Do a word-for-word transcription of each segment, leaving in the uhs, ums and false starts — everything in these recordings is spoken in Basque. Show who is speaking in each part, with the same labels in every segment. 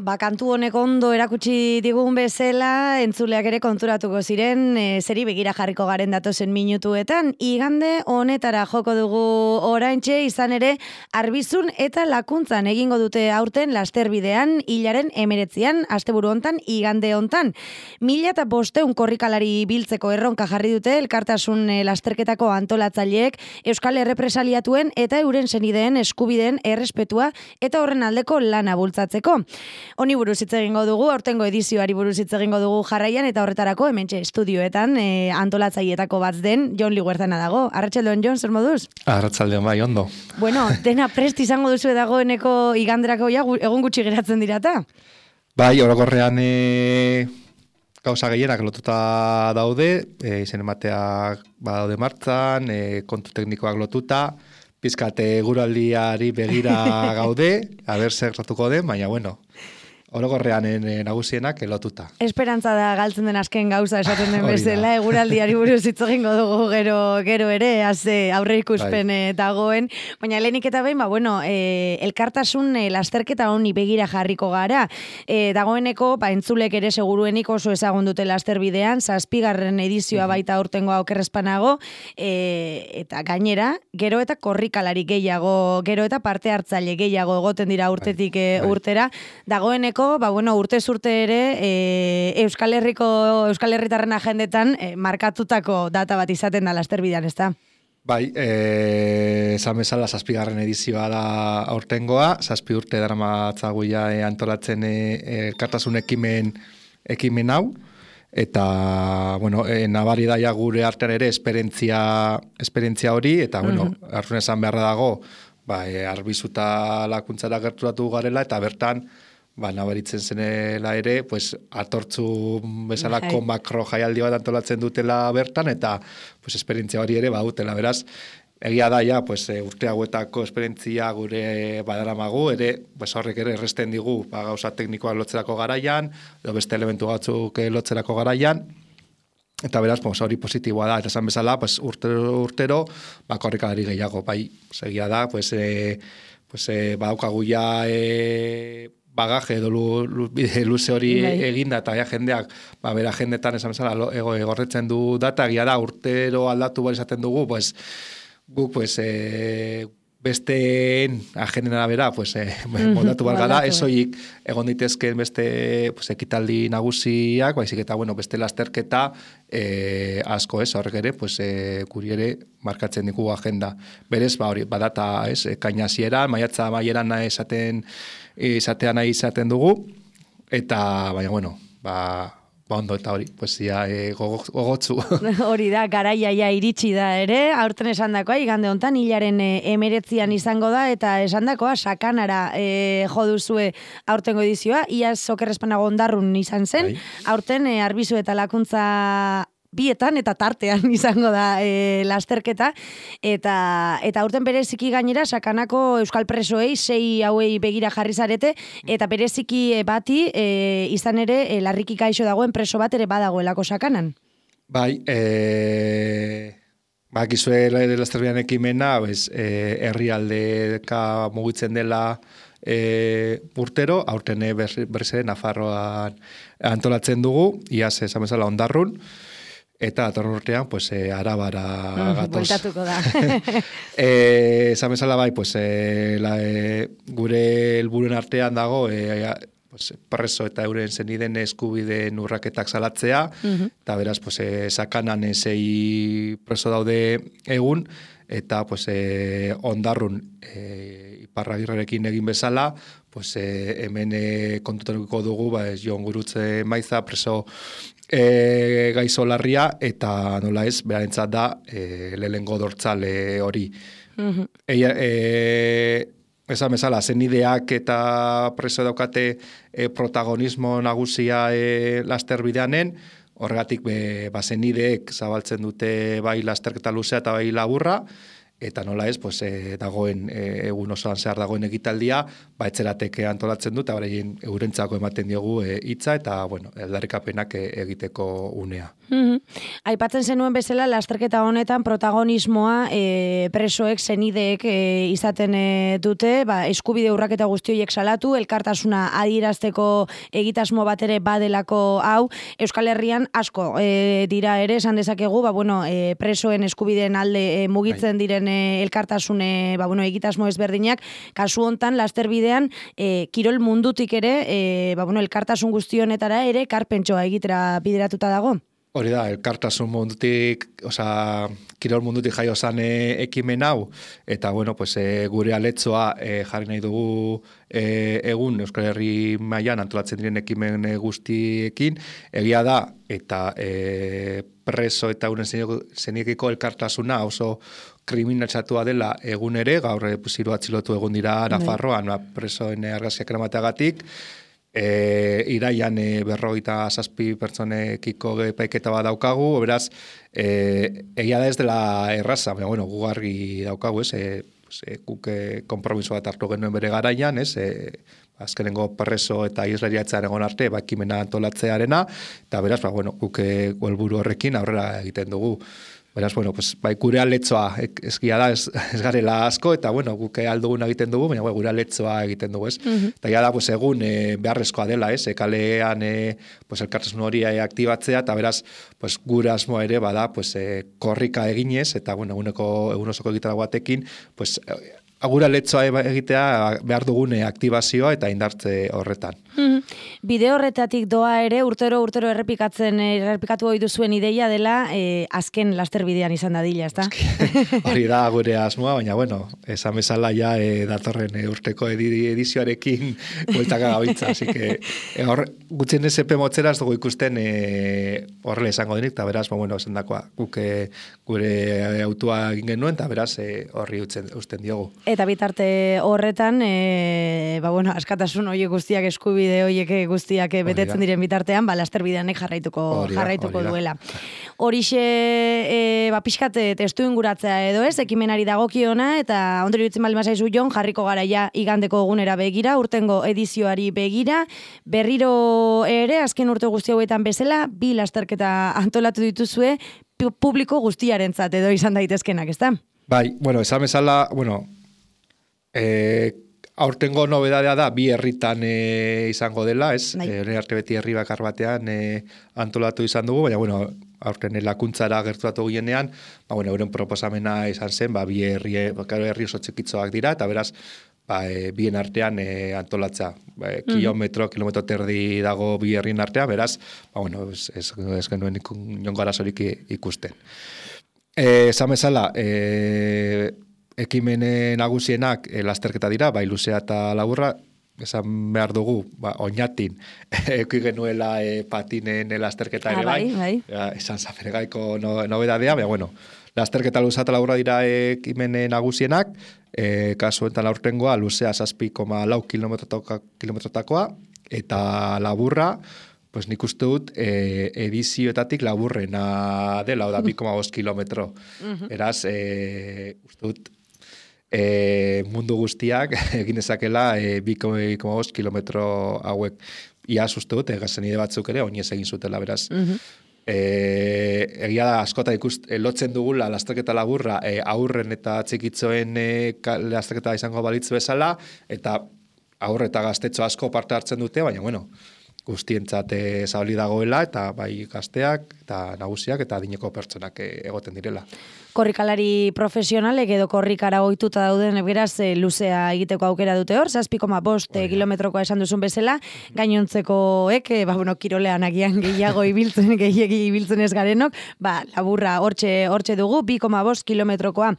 Speaker 1: Ba, kantu honek ondo erakutsi digun bezala, entzuleak ere konturatuko ziren, e, zeri begira jarriko garen datozen minutuetan. Igande honetara joko dugu oraintxe, izan ere, Arbizun eta Lakuntzan egingo dute aurten lasterbidean, hilaren emeretzian, asteburu hontan, igande hontan. Mila eta bosteun korrikalari biltzeko erronka jarri dute, elkartasun e, lasterketako antolatzaileek, Euskal Errepresaliatuen eta euren senideen eskubideen errespetua eta horren aldeko lana bultzatzeko. Honi buruz hitz egingo dugu, aurtengo edizioari buruz hitz egingo dugu jarraian, eta horretarako hementxe estudioetan e, antolatzaileetako bat den Jon Liguerzana dago. Arratsaldeon, Jon, zer moduz?
Speaker 2: Arratsaldeon, bai, ondo.
Speaker 1: Bueno, dena prest izango duzu dagoeneko iganderako ja, egun gutxi geratzen dirata?
Speaker 2: Bai, orokorrean e, gauza gehienak lotuta daude, e, izen emateak badaude martzan, e, kontu teknikoak lotuta, pizkate guraldiari begira gaude, aber zer ratuko den, baina bueno, orokorrean nagusienak lotuta.
Speaker 1: Esperantza da galtzen den azken gauza esaten den bezala, eguraldiari buruz hitz egingo dugu gero gero ere, haze aurre ikuspen bai. Dagoen, baina lehenik eta behin, ba, bueno, e, elkartasun e, lasterketa honi begira jarriko gara. E, dagoeneko, ba, entzulek ere seguruenik oso ezagun dute lasterbidean, zazpigarren edizioa baita aurtengoa okerrezpanago, e, eta gainera, gero eta korrikalari gehiago, gero eta parte hartzaile gehiago egoten dira urtetik bai. Bai. Urtera, dagoeneko ba, bueno, urte zurte ere e, Euskal Herriko Euskal Herritarren agendetan e, markatutako data bat izaten da lasterbidean, ezta?
Speaker 2: Bai, eh esan bezala zazpigarren edizioa da aurtengoa, zazpi urte daramatzaguia e, antolatzen elkartasun e, ekimen ekimen hau eta bueno, e, nabari daia gure artean ere esperientzia esperientzia hori eta bueno, uh -huh. arrun esan beharra dago, ba e, Arbizuta Lakuntzara gerturatu garela eta bertan ba, nabaritzen zenela ere, pues, atortzu bezalako makro jaialdi bat antolatzen dutela bertan, eta pues, esperientzia hori ere badutela, beraz, egia da, ja, pues, urte hauetako esperientzia gure badaramagu, ere, pues, horrek ere erresten digu, ba, gauza teknikoak lotzerako garaian, edo beste elementu batzuk lotzerako garaian, eta beraz, pues, hori positiboa da, eta esan bezala, pues, urtero, urtero, ba, korrikalari gehiago, bai, pues, egia da, pues, e, pues, e, badaukagu ja, e, bagaje edo lu, lu, luze hori eginda eta ja jendeak ba, bera jendetan esan bezala ego egorretzen du data, egia da urtero aldatu bar izaten dugu, pues, guk pues, e, besteen agenden arabera pues, e, moldatu bar gara, esoik egon ditezken beste pues, ekitaldi nagusiak, baizik eta bueno, beste lasterketa e, asko ez, horrek ere, pues, e, kuri ere markatzen dikugu agenda. Berez, ba, hori, badata, ez, kaina hasieran, maiatza maieran esaten izatea nahi izaten dugu, eta, baina, bueno, ba, ba ondo eta hori, pues, ya, e, gogotzu.
Speaker 1: Hori da, garaia ja iritsi da ere, aurten esandakoa, igande hontan, hilaren e, emeretzian izango da, eta esandakoa, sakanara e, joduzue aurtengo edizioa, iaz okerrezpanago ondarrun izan zen, bai. Aurten e, Arbizu eta Lakuntza bietan eta tartean izango da e, lasterketa, eta eta aurten bereziki gainera sakanako euskal presoei sei hauei begira jarri zarete, eta bereziki bati e, izan ere e, larriki gaixo dagoen preso bat ere badagoelako sakanan.
Speaker 2: Bai, e, bakizue lasterbidean ekimena, pues, e, herrialdeka mugitzen dela e, urtero, aurten berriz ere Nafarroan antolatzen dugu, iaz esan bezala ondarrun, eta atorren urtean, pues, e, arabara gatoz.
Speaker 1: Bueltatuko da.
Speaker 2: e, esan bezala bai, pues, e, la, e, gure helburuen artean dago, e, pues, preso eta euren zeniden eskubideen urraketak salatzea, uh-huh. eta beraz, pues, e, sakanan sei preso daude egun, eta pues, e, ondarrun e, Iparragirrerekin egin bezala, pues, e, hemen e, kontutarukiko dugu, ba, ez Jon Gurutze Maiza, preso e, gaizo larria, eta nola ez, berarentzat da, e, lehengo dortzale hori. Uh-huh. E, e, esan bezala, zenideak eta preso daukate e, protagonismo nagusia e, lasterbideanen, horregatik be, ba, zenideek zabaltzen dute bai lasterketa luzea eta bai laburra, eta nola ez, pues, e, dagoen e, egun osoan zehar dagoen egitaldia, ba, etxerateke antolatzen dut, eta beraien eurentzako ematen diogu hitza, eta, bueno, aldarrikapenak e, egiteko unea.
Speaker 1: Mm-hmm. Aipatzen zenuen bezala, lasterketa honetan protagonismoa e, presoek, senideek e, izaten e, dute, ba, eskubide urraketa guzti horiek salatu, elkartasuna adierazteko egitasmo bat ere badelako hau, Euskal Herrian asko e, dira ere, esan dezakegu, ba, bueno, e, presoen eskubideen alde e, mugitzen diren e, elkartasune, ba, bueno, egitasmo ezberdinak, kasu hontan lasterbidean e, kirol mundutik ere, e, ba, bueno, elkartasun guzti honetara ere karpentsoa egitera bideratuta dago.
Speaker 2: Hori da, elkartasun mundutik, osea, kirol mundutik jaio zan e, ekimen hau, eta, bueno, pues, e, gure aletzoa e, jarri nahi dugu e, egun Euskal Herri mailan antolatzen diren ekimen guztiekin, egia da, eta e, preso eta unen zeniekiko elkartasuna oso kriminalitzatua dela egun ere, gaur hiru atxilotu egun dira Nafarroan, presoen argazkiak eramateagatik, E, iraian e, berrogeita zazpi pertsonekiko epaiketa bat daukagu, beraz, e, egia da ez dela erraza, baina, bueno, gugarri daukagu, ez, e, pues, e, guk e, konpromiso bat hartu genuen bere garaian, ez, e, azkenengo preso eta islariatzen egon arte, ba, ekimena antolatzearena, eta beraz, ba, bueno, guk helburu horrekin aurrera egiten dugu. Beraz, bueno, pues, bai, gure aletzoa eskia da, ez, ez garela asko, eta, bueno, guk aldugun egiten dugu, baina gure aletzoa egiten dugu, ez? Mm-hmm. Eta ja da, pues, egun e, beharrezkoa dela, ez? E, kalean, e, pues, elkartasun hori e, aktibatzea, eta beraz, pues, gure asmoa ere, bada, pues, e, korrika eginez, eta, bueno, eguneko, egun osoko egitara batekin, pues, agura letzoa egitea behar dugune aktibazioa eta indartze horretan.
Speaker 1: Mm-hmm. Bide horretatik doa ere, urtero urtero errepikatzen errepikatu ohi duzuen ideia dela e, azken lasterbidean izan dadila, ezta?
Speaker 2: Hori da gure asmoa, baina bueno, esan bezala ja e, datorren e, urteko edizioarekin bueltaka gabiltza, así que e, hor gutxien esepe motzera ez dugu ikusten e, horrela izango denik, eta beraz, bueno, esan dakoa, guk e, gure autua egin genuen, eta beraz e, horri utzen, usten diogu.
Speaker 1: Eta bitarte horretan, e, ba bueno, askatasun horiek guztiak, eskubide horiek guztiak betetzen diren bitartean, ba lasterbideanek jarraituko orida, jarraituko orida. Duela. Horixe, e, ba pixkat testu inguratzea edo ez, ekimenari dagokiona, eta ondori dutzen bali mazaizu Jon, jarriko gara ja igandeko egunera begira, urtengo edizioari begira, berriro ere, azken urte guzti hauetan bezala, bi lasterketa antolatu dituzue, publiko guztiarentzat edo izan daitezkenak, ezta?
Speaker 2: Bai, bueno, esan bezala, bueno, E, aurtengo nobedadea da bi herritan e, izango dela, ez? E, arte beti herri bakar batean e, antolatu izan dugu, baina bueno, aurten lakuntzara gerturatu ginean, ba bueno, euren proposamena izan zen, ba bi herri, bakar herri oso txikitzoak dira eta beraz, ba e, bien artean e, antolatza. Ba, e, kilometro, mm. kilometro terdi dago bi herrien artean, beraz, ba bueno, ez ez, ez genuen inongo arazorik ikusten. Eh, esan bezala, eh ekimene nagusienak e, lasterketa dira, bai luzea eta laburra, esan behar dugu, ba, oinatin, eki genuela e, patinen e, lasterketa ere ah, bai, bai. Ja, esan zafergaiko no, nobedadea, baina bueno, lasterketa luzea eta laburra dira ekimene nagusienak, e, kasu enten aurtengoa, luzea zazpi koma lau kilometrotakoa, eta laburra, pues nik uste dut e, edizioetatik laburrena dela, oda bi koma bost kilometro. Eraz, e, uste dut, E, mundu guztiak egin dezakela e, bi koma bost kilometro hauek. Ia uste dut, egazenide batzuk ere, oinez egin zutela, beraz. Mm-hmm. e, egia da, askota ikust, e, lotzen dugula lasterketa laburra e, aurren eta txikitzoen e, lasterketa izango balitz bezala, eta aurre eta gaztetxo asko parte hartzen dute, baina, bueno, guztientzat zabali dagoela, eta bai gazteak, eta nagusiak, eta adineko pertsonak egoten direla.
Speaker 1: Korrikalari profesionalek edo korrikara ohituta dauden beraz e, luzea egiteko aukera dute hor, zazpi koma bost kilometrokoa esan duzun bezala, gainontzekoek, e, ba, bueno, kirolean agian gehiago ibiltzen, gehiagi ibiltzen ez garenok, ba, laburra hortxe, hortxe dugu, bi koma bost kilometrokoa.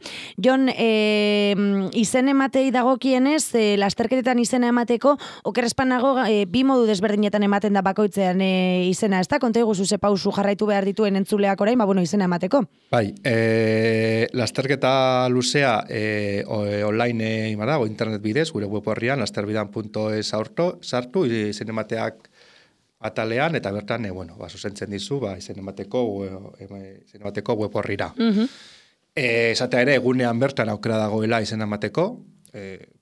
Speaker 1: Jon, e, izen ematei dagokienez, e, lasterketetan izena emateko, okerrezpanago e, bi modu desberdinetan ematen da bakoitzean e, izena, ez da? Konta iguzu ze pausu jarraitu behar dituen entzuleak orain, ba, bueno, izena emateko.
Speaker 2: Bai, e... E, lasterketa luzea e, online e, dago, internet bidez, gure web horrian, lasterbidan punto es sartu, izen emateak atalean, eta bertan, e, bueno, ba, zuzentzen dizu, ba, izen emateko, e, izen emateko web horrira. Mm-hmm. E, esatea ere, egunean bertan aukera dagoela izena emateko, e,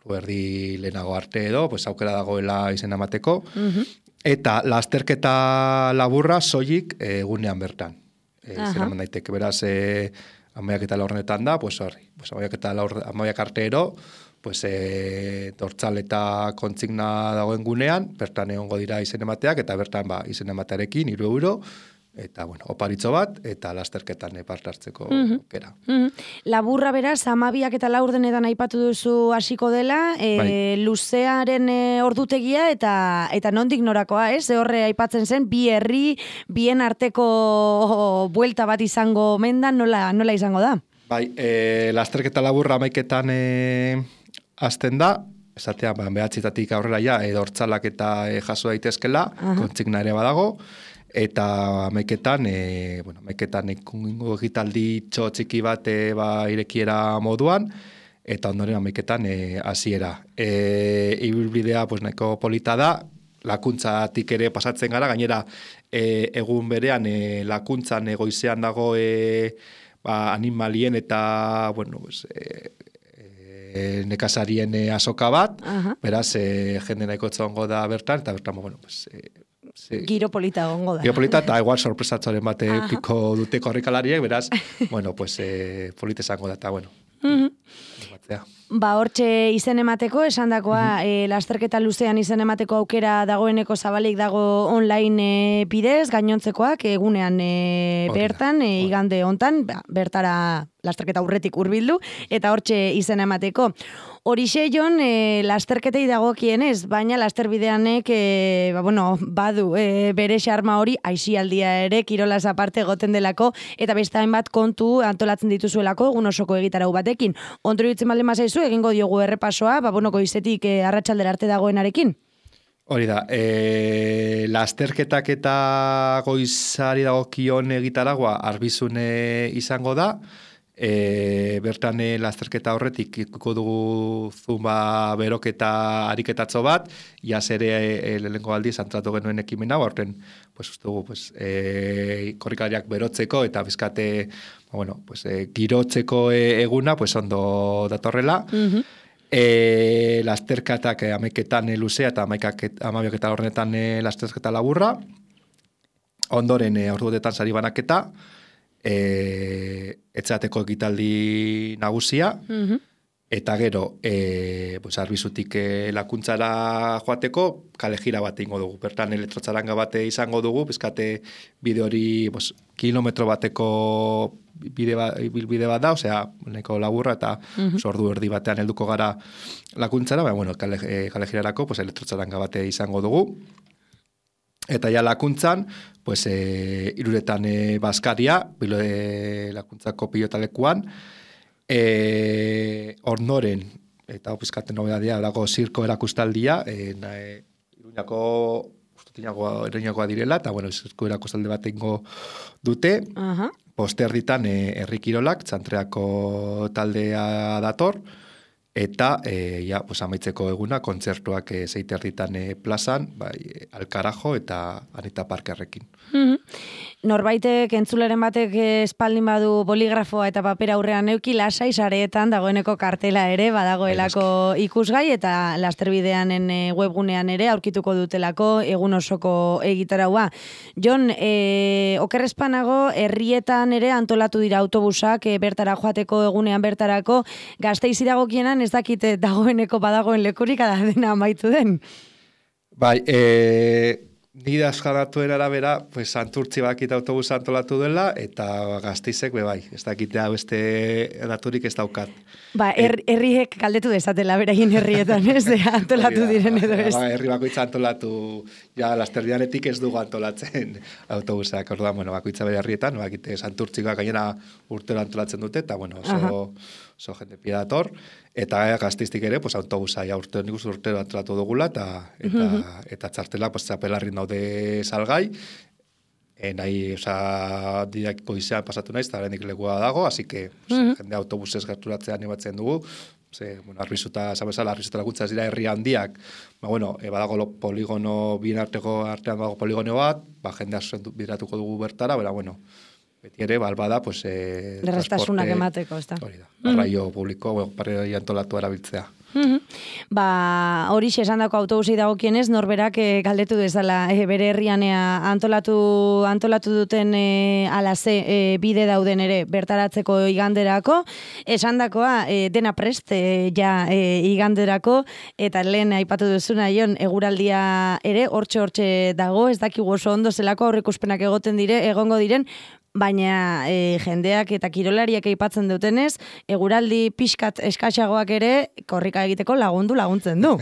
Speaker 2: erdi lehenago arte edo, pues aukera dagoela izena emateko, uh-huh. Eta lasterketa laburra soilik e, egunean bertan. E, izena eman daiteke, beraz, e, amaiak eta laurrenetan da, pues horri, pues amaiak eta laur, amaiak arte ero, pues e, dortzal eta kontsigna dagoen gunean, bertan egongo dira izen emateak, eta bertan ba, izen ematearekin, iru euro, eta, bueno, oparitzo bat, eta lasterketan parte hartzeko
Speaker 1: mm-hmm.
Speaker 2: aukera.
Speaker 1: Mm-hmm. Laburra beraz, amabiak eta laurdenetan aipatu duzu hasiko dela, e, bai. Luzearen e, ordutegia, eta eta nondik norakoa, ez? Horre aipatzen zen, bi herri, bien arteko buelta bat izango mendan, nola, nola izango da?
Speaker 2: Bai, e, lasterketa laburra amaiketan e, azten da, esatea, ba, behatzitatik aurrera ja, edo hortzalak eta e, jaso daitezkela, kontsigna ere badago, eta amaiketan, e, bueno, amaiketan ikungo egitaldi txotxiki bat e, ba, irekiera moduan, eta ondoren amaiketan hasiera. E, ibilbidea pues, nahiko polita da, lakuntzatik ere pasatzen gara, gainera e, egun berean e, lakuntzan egoizean dago e, ba, animalien eta bueno, pues, e, e, nekazarien e, azoka bat, uh-huh. Beraz, e, jende nahiko txongo da bertan, eta bertan, bueno, pues, e,
Speaker 1: Sí. Giro polita gongo da.
Speaker 2: Giro polita, eta igual sorpresatzoren bate piko dute korrikalariek, beraz, bueno, pues, eh, polita esango da, eta, bueno.
Speaker 1: Mm-hmm. Ba, hortxe izen emateko, esan dakoa, mm-hmm. e, lasterketa luzean izen emateko aukera dagoeneko zabalik dago online e, bidez, gainontzekoak, egunean e, bertan, e, igande hontan, ba, bertara lasterketa aurretik hurbildu, eta hortxe izen emateko. Horixe jon, e, lasterketei dagokienez, baina lasterbideanek e, ba, bueno, badu e, bere xarma hori aixialdia ere, kirolaz aparte goten delako, eta beste hainbat kontu antolatzen dituzuelako egun osoko egitarau batekin. Ondoro itzen balde mazaizu, egingo diogu errepasoa, ba, bueno, goizetik e, arratsaldera arte dagoenarekin?
Speaker 2: Hori da, e, lasterketak eta goizari dagokion egitaragua arbizune izango da, E, bertan e, lasterketa horretik ikuko dugu zumba beroketa ariketatzo bat, iaz ere e, lehenko aldiz antratu genuen ekimen hau, horten pues, dugu pues, e, korrikalariak berotzeko eta bizkate bueno, pues, e, girotzeko e, eguna pues, ondo datorrela. Mm-hmm. E, lasterketak e, ameketan e, luzea eta amabiak eta horrenetan e, lasterketa laburra, ondoren e, orduetan sari banaketa, E, etxateko egitaldi nagusia, mm-hmm. Eta gero, e, pues, arbizutik e, lakuntzara joateko, kale jira bat ingo dugu. Bertan elektrotzaranga bate izango dugu, bizkate bide hori pues, kilometro bateko bide, ba, bide bat da, osea, neko laburra, eta mm-hmm. pues, ordu erdi batean helduko gara lakuntzara, baina, bueno, kale, e, kale jirarako pues, elektrotzaranga bate izango dugu. Eta ja lakuntzan, pues, e, iruretan e, Baskaria, bilo e, lakuntzako pilotalekuan, e, ornoren, eta opizkaten nobedadia, dago zirko erakustaldia, e, na, e, iruñako, iruñakoa direla, eta bueno, zirko erakustalde bat ingo dute, uh-huh. Poster ditan e, herrikirolak, txantreako taldea dator, eta e, ja, pues, amaitzeko eguna, kontzertuak e, zeiter ditan e, plazan, bai, e, Alkarajo eta Anita Parkerrekin.
Speaker 1: Mm-hmm. Norbaitek, entzuleren batek espaldin badu boligrafoa eta papera aurrean neuki, lasai sareetan dagoeneko kartela ere, badagoelako ikusgai, eta lasterbideanen webgunean ere aurkituko dutelako egun osoko egitaraua. Jon, e, okerrezpanago, herrietan ere antolatu dira autobusak e, bertara joateko egunean bertarako, Gasteiz iragokienan ez dakite dagoeneko badagoen lekurik dena amaitu den.
Speaker 2: Bai, e... Nire askaratuen arabera, pues, Santurtzi bakit autobusa antolatu dela, eta Gasteizek be bai, ez dakitea beste daturik ez daukat.
Speaker 1: Ba, er, herriek kaldetu dezatela beraien herrietan, ez de antolatu diren edo ez.
Speaker 2: Ba, herri bakoitza antolatu, ja, lasterdianetik ez dugu antolatzen autobusak, orduan, bueno, bakoitza bere herrietan, bakite Santurtzikoa gainera urtero antolatzen dute, eta, bueno, oso, oso jende pila dator, eta Gasteiztik ere, pues, autobusa ja urtero, nik uste urtero antolatu dugula, eta, eta, uh-huh. eta txartela, pues, txapelarrin daude salgai, e, nahi, oza, diakiko izan pasatu naiz, eta horrendik legua dago, así que, pues, uh-huh. jende autobusez gerturatzea animatzen dugu, ze, bueno, arbizuta, zabezala, arbizuta laguntza ez dira herri handiak, ba, bueno, e, badago lo, poligono, bien arteko artean dago poligono bat, ba, jende asuntu bideratuko dugu bertara, bera, bueno, beti ere, balbada, pues, e,
Speaker 1: Derrestasunak emateko, ez da.
Speaker 2: Hori da, garraio publiko, garraio antolatu erabiltzea.
Speaker 1: Mm-hmm. Ba, hori esandako autobusi dagokienez, norberak e, galdetu dezala e, bere herrian e, antolatu, antolatu duten e, alaze e, bide dauden ere bertaratzeko iganderako, esandakoa e, dena prest e, ja e, iganderako, eta lehen aipatu duzuna Jon, eguraldia ere hortxe hortxe dago, ez dakigu oso ondo zelako aurreikuspenak egoten dire, egongo diren, baina e, jendeak eta kirolariak aipatzen dutenez, eguraldi pixkat eskaxagoak ere korrika egiteko lagundu laguntzen du.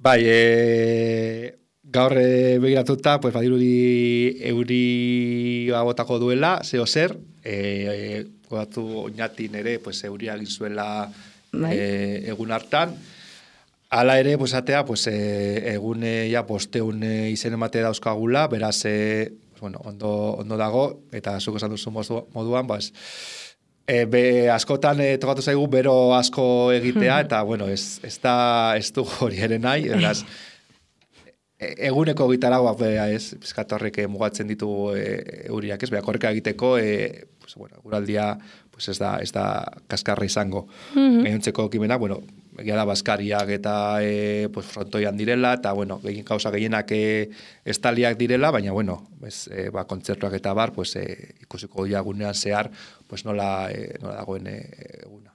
Speaker 2: Bai, e, gaur e, begiratuta, pues, badirudi euri botako duela, zeo zer, e, e, godatu oinatin ere, pues, euria egin zuela e, egun hartan. Hala ere, pues, atea, pues, e, egun e, ja, bosteun e, izen emate dauzkagula, beraz, e, bueno, ondo, ondo dago, eta zuk esan duzu moduan, bas, e, be, askotan e, tokatu zaigu bero asko egitea, eta, bueno, ez, ez da, ez du hori ere nahi, eraz, e, eguneko gitaragua, ez, bizkatorrek mugatzen ditu e, euriak, ez, beha, korrika egiteko, e, pues, bueno, guraldia, pues, ez da, ez da kaskarra izango. Mm-hmm. Gainontzeko ekimena, bueno, egia da baskariak eta e, pues, frontoian direla, eta, bueno, egin kausa gehienak e, estaliak direla, baina, bueno, ez, e, ba, kontzertuak eta bar, pues, e, ikusiko diagunean zehar, pues, nola, e, nola dagoen e, eguna.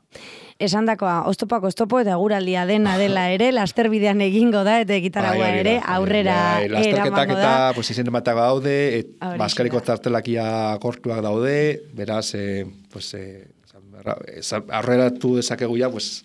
Speaker 1: Esandakoa, oztopak oztopo eta eguraldia dena dela ere, lasterbidean egingo da, eta gitaragua ere, aurrera eramango da.
Speaker 2: Lasterketak eta, pues, izen ematago daude, et, baskariko txartelakia gortuak daude, beraz, e, pues, e, aurreratu dezakegu ja, pues,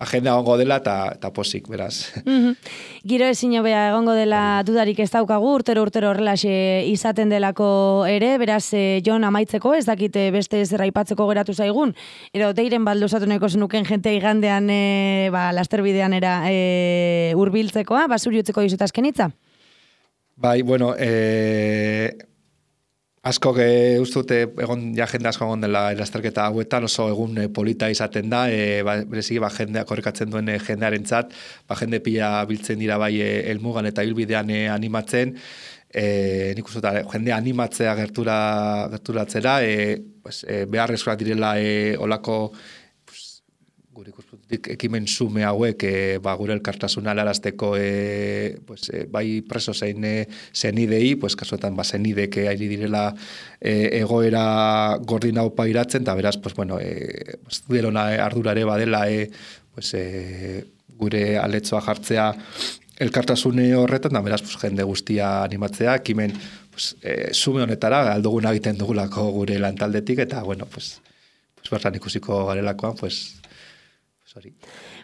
Speaker 2: agenda egongo dela eta, eta posik, beraz.
Speaker 1: Mm-hmm. Giro ezin hobea egongo dela dudarik ez daukagu, urtero urtero horrelaxe izaten delako ere, beraz, e, Jon, amaitzeko, ez dakite beste zer aipatzeko geratu zaigun, ero deiren balduzatu nahiko zenuken jente igandean e, ba, lasterbidean era e, urbiltzekoa, basuri utzeko dizut azken hitza?
Speaker 2: Bai, bueno, e... asko ge ustute egon ja jende asko egon dela lasterketa hauetan, oso egun e, polita izaten da, e, ba, bereziki ba jendea korrikatzen duen e, jendearentzat, ba jende pila biltzen dira bai e, helmugan eta ibilbidean e, animatzen, e, nik uste jende animatzea gertura gerturatzera, e, pues, e, beharrezkoak direla e, olako gure ikuspuntutik ekimen sume hauek e, ba, gure elkartasuna helarazteko e, pues, e, bai preso zein e, zenidei, pues, kasuetan ba, zenidek ari direla e, egoera gordin hau pairatzen, eta beraz, pues, bueno, e, pues, delona ardurare badela e, pues, e, gure aletzoa jartzea elkartasune horretan, da beraz, pues, jende guztia animatzea, ekimen pues, e, sume honetara, alduguna egiten dugulako gure lantaldetik, eta, bueno, pues, pues, bertan ikusiko garelakoan, pues, Sorry.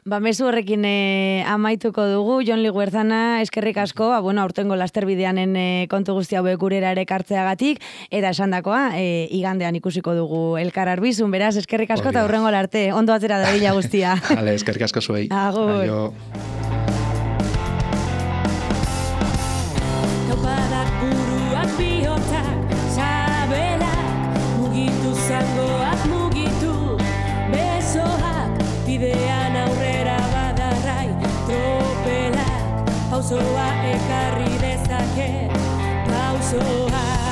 Speaker 1: Ba, mezu horrekin e, amaituko dugu, Jon Liguerzana, eskerrik asko, ba, bueno, aurtengo lasterbideanen e, kontu guzti hauek gurera ere kartzeagatik, eta esandakoa, e, igandean ikusiko dugu elkar arbizun, beraz, eskerrik asko eta hurrengo arte, ondo atzera da bila guztia.
Speaker 2: Vale, eskerrik asko zuei.
Speaker 1: Agur.
Speaker 2: Aio.
Speaker 3: Topadak buruak bihotzak, sabelak, mugitu zangoak mugitu, besoak, bidean aurrera badarrai, tropelak, pausoa ekarri dezake, pausoa.